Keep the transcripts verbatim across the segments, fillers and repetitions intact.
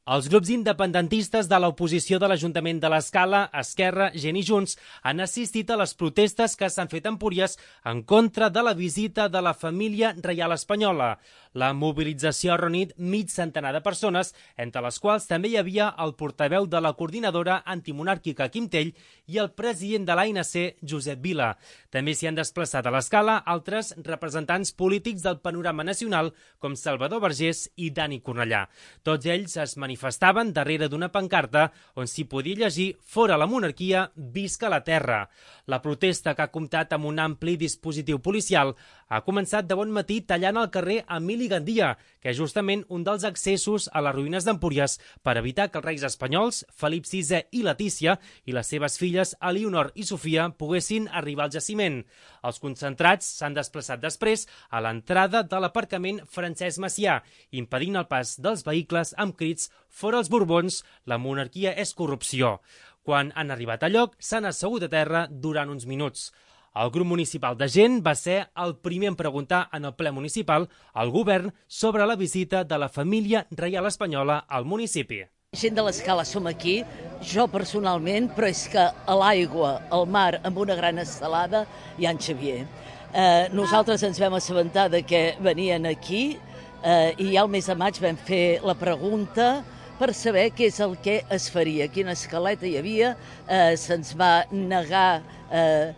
Els grups independentistes de l'oposició de l'Ajuntament de l'Escala, Esquerra, Gent i Junts han assistit a les protestes que s'han fet a Empúries en contra de la visita de la família reial espanyola. La mobilització ha reunit mig centenar de persones, entre les quals també hi havia el portaveu de la coordinadora antimonàrquica Quim Tell i el president de l'A N C, Josep Vila. També s'hi han desplaçat a l'Escala altres representants polítics del panorama nacional com Salvador Vergés i Dani Cornellà. Tots ells es manifestaven darrere d'una pancarta on s'hi podia llegir «Fora la monarquia, visca la terra». La protesta, que ha comptat amb un ampli dispositiu policial, ha començat de bon matí tallant el carrer Emili Gandia, que és justament un dels accessos a les ruïnes d'Empúries per evitar que els reis espanyols, Felip sisè i Letícia, i les seves filles Elionor i Sofia, poguessin arribar al jaciment. Els concentrats s'han desplaçat després a l'entrada de l'aparcament Francesc Macià, impedint el pas dels vehicles amb crits «Fora els Borbons, la monarquia és corrupció». Quan han arribat a lloc, s'han assegut a terra durant uns minuts. El grup municipal de Gent va ser el primer en preguntar en el ple municipal al govern sobre la visita de la família reial espanyola al municipi. Gent de l'Escala som aquí, jo personalment, però és que a l'aigua, al mar, amb una gran estelada, hi ha en Xavier. Eh, nosaltres ens vam assabentar de que venien aquí eh, i ja al mes de maig vam fer la pregunta per saber què és el que es faria, quina escaleta hi havia, eh, se'ns va negar, eh,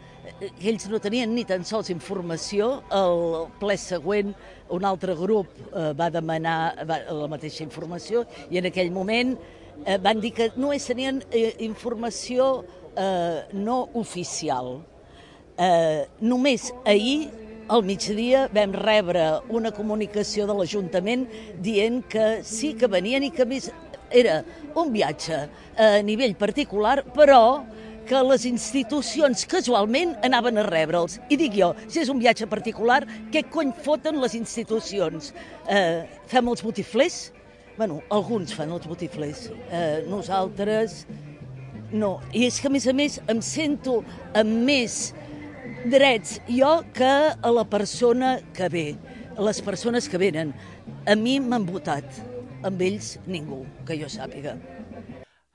ells no tenien ni tan sols informació, el ple següent un altre grup eh, va demanar va, la mateixa informació i en aquell moment eh, van dir que només tenien eh, informació eh, no oficial. Eh, només ahir, al migdia, vam rebre una comunicació de l'Ajuntament dient que sí que venien i que més era un viatge a nivell particular, però que les institucions casualment anaven a rebre'ls. I dic jo, si és un viatge particular, què cony foten les institucions? Eh, fem els botiflers? Bueno, alguns fan els botiflers. Eh, nosaltres no. I és que, a més a més, em sento amb més drets jo que a la persona que ve, a les persones que venen. A mi m'han votat, amb ells ningú, que jo sàpiga.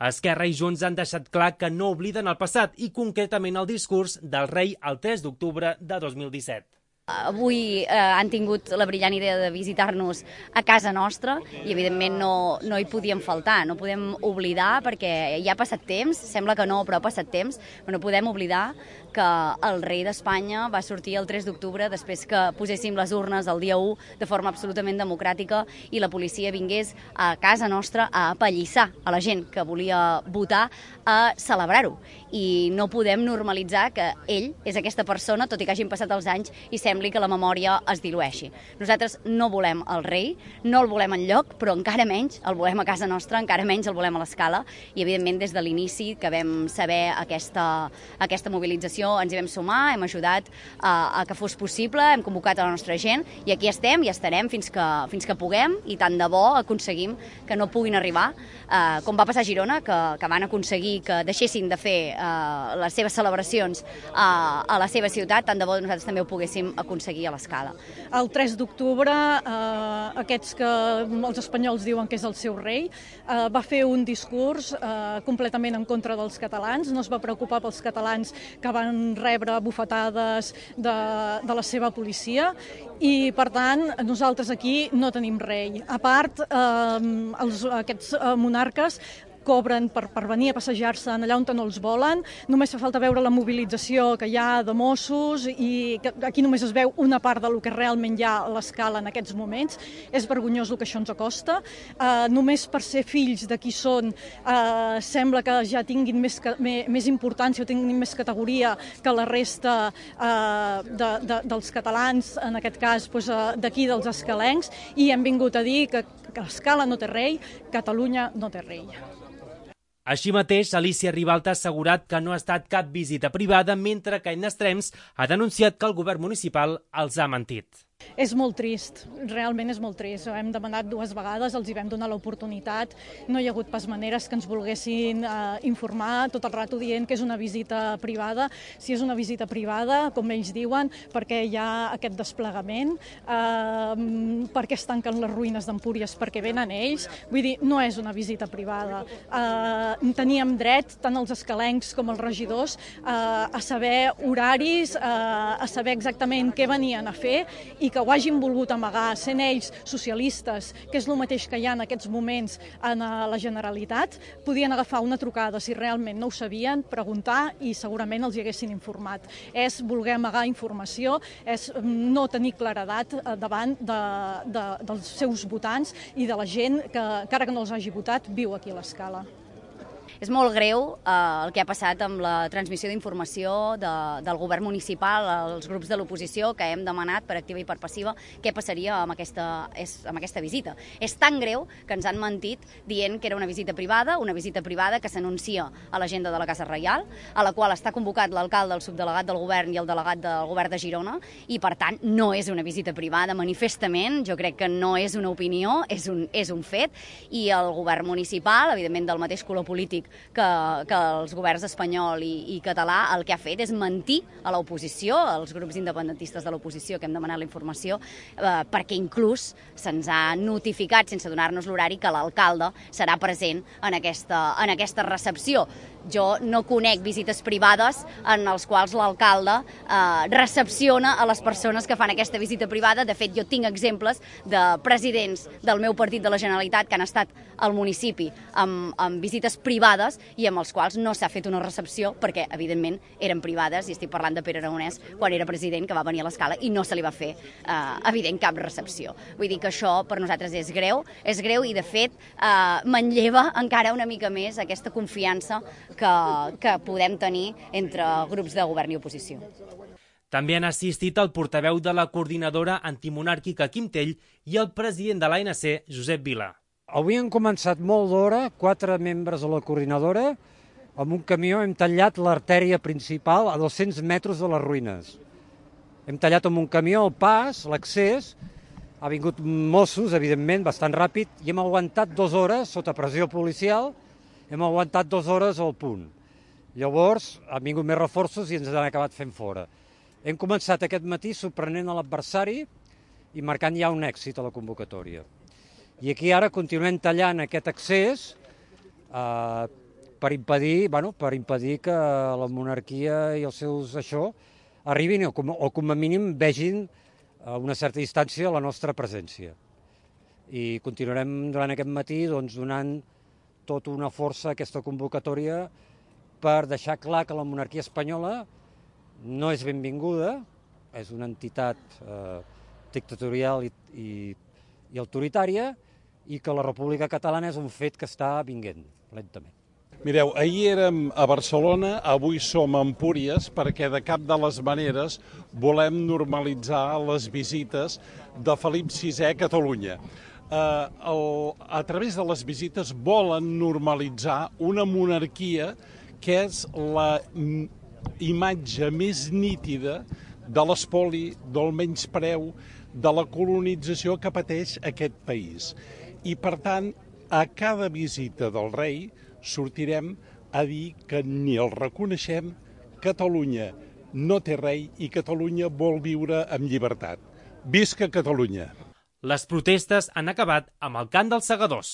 Esquerra i Junts han deixat clar que no obliden el passat i concretament el discurs del rei el tres d'octubre de dos mil disset. Avui eh, han tingut la brillant idea de visitar-nos a casa nostra i evidentment no, no hi podíem faltar, no podem oblidar perquè ja ha passat temps, sembla que no, però ha passat temps, però no podem oblidar que el rei d'Espanya va sortir el tres d'octubre després que poséssim les urnes el dia u de forma absolutament democràtica i la policia vingués a casa nostra a apallissar a la gent que volia votar a celebrar-ho. I no podem normalitzar que ell és aquesta persona, tot i que hagin passat els anys, i sembli que la memòria es dilueixi. Nosaltres no volem el rei, no el volem enlloc, però encara menys el volem a casa nostra, encara menys el volem a l'Escala, i evidentment des de l'inici que vam saber aquesta, aquesta mobilització ens hi vam sumar, hem ajudat a, a que fos possible, hem convocat a la nostra gent i aquí estem i estarem fins que, fins que puguem i tant de bo aconseguim que no puguin arribar, eh, com va passar a Girona, que, que van aconseguir que deixessin de fer eh, les seves celebracions a, a la seva ciutat, tant de bo nosaltres també ho poguéssim aconseguir a l'Escala. El tres d'octubre, eh, aquests que els espanyols diuen que és el seu rei, eh, va fer un discurs eh, completament en contra dels catalans, no es va preocupar pels catalans que van rebre bufetades de, de la seva policia i, per tant, nosaltres aquí no tenim rei. A part, eh, els, aquests eh, monarques cobren per, per venir a passejar-se allà on no els volen. Només fa falta veure la mobilització que hi ha de Mossos i que aquí només es veu una part del que realment hi ha a l'Escala en aquests moments. És vergonyós el que això ens acosta. Uh, només per ser fills de qui són uh, sembla que ja tinguin més, més, més importància o tinguin més categoria que la resta uh, de, de, dels catalans, en aquest cas doncs, uh, d'aquí dels escalencs, i hem vingut a dir que, que l'Escala no té rei, Catalunya no té rei. Així mateix, Alicia Ribalta ha assegurat que no ha estat cap visita privada, mentre que en Extrems ha denunciat que el govern municipal els ha mentit. És molt trist, realment és molt trist. Ho hem demanat dues vegades, els hi vam donar l'oportunitat, no hi ha hagut pas maneres que ens volguessin eh, informar, tot el rato dient que és una visita privada. Si és una visita privada, com ells diuen, perquè hi ha aquest desplegament, eh, perquè es tanquen les ruïnes d'Empúries, perquè venen ells, vull dir, no és una visita privada. Eh, teníem dret, tant els escalencs com els regidors, eh, a saber horaris, eh, a saber exactament què venien a fer i que ho hagin volgut amagar, sent ells socialistes, que és el mateix que hi ha en aquests moments en la Generalitat, podien agafar una trucada si realment no ho sabien, preguntar i segurament els hi haguessin informat. És voler amagar informació, és no tenir claredat davant de, de, dels seus votants i de la gent que, encara que no els hagi votat, viu aquí a l'Escala. És molt greu eh, el que ha passat amb la transmissió d'informació de, del govern municipal als grups de l'oposició que hem demanat per activa i per passiva què passaria amb aquesta, és, amb aquesta visita. És tan greu que ens han mentit dient que era una visita privada, una visita privada que s'anuncia a l'agenda de la Casa Reial, a la qual està convocat l'alcalde, el subdelegat del govern i el delegat del govern de Girona, i per tant no és una visita privada manifestament, jo crec que no és una opinió, és un, és un fet, i el govern municipal, evidentment del mateix color polític Que, que els governs espanyol i, i català, el que ha fet és mentir a l'oposició, als grups independentistes de l'oposició que hem demanat la informació, eh, perquè inclús se'ns ha notificat, sense donar-nos l'horari, que l'alcalde serà present en aquesta, en aquesta recepció. Jo no conec visites privades en els quals l'alcalde eh, recepciona a les persones que fan aquesta visita privada. De fet, jo tinc exemples de presidents del meu partit de la Generalitat que han estat al municipi amb, amb visites privades i amb els quals no s'ha fet una recepció perquè, evidentment, eren privades, i estic parlant de Pere Aragonès quan era president, que va venir a l'Escala i no se li va fer, eh, evident, cap recepció. Vull dir que això per nosaltres és greu, és greu i, de fet, eh, manlleva encara una mica més aquesta confiança que, que podem tenir entre grups de govern i oposició. També han assistit el portaveu de la coordinadora antimonàrquica Quim Tell i el president de l'A N C, Josep Vila. Avui han començat molt d'hora, quatre membres de la coordinadora, amb un camió hem tallat l'artèria principal a dos-cents metres de les ruïnes. Hem tallat amb un camió el pas, l'accés, ha vingut Mossos, evidentment, bastant ràpid, i hem aguantat dues hores sota pressió policial, hem aguantat dues hores al punt. Llavors han vingut més reforços i ens han acabat fent fora. Hem començat aquest matí sorprenent a l'adversari i marcant ja un èxit a la convocatòria. I aquí ara continuem tallant aquest accés eh, per impedir, bueno, per impedir que la monarquia i els seus això arribin o com, o com a mínim vegin a una certa distància la nostra presència. I continuarem durant aquest matí doncs, donant tota una força a aquesta convocatòria per deixar clar que la monarquia espanyola no és benvinguda, és una entitat eh, dictatorial i, i, i autoritària, i que la República Catalana és un fet que està vinguent lentament. Mireu, ahir érem a Barcelona, avui som a Empúries, perquè de cap de les maneres volem normalitzar les visites de Felip sisè a Catalunya. Eh, el, a través de les visites volen normalitzar una monarquia que és la imatge més nítida de l'espoli, del menyspreu, de la colonització que pateix aquest país. I, per tant, a cada visita del rei sortirem a dir que ni el reconeixem, Catalunya no té rei i Catalunya vol viure amb llibertat. Visca Catalunya! Les protestes han acabat amb el cant dels segadors.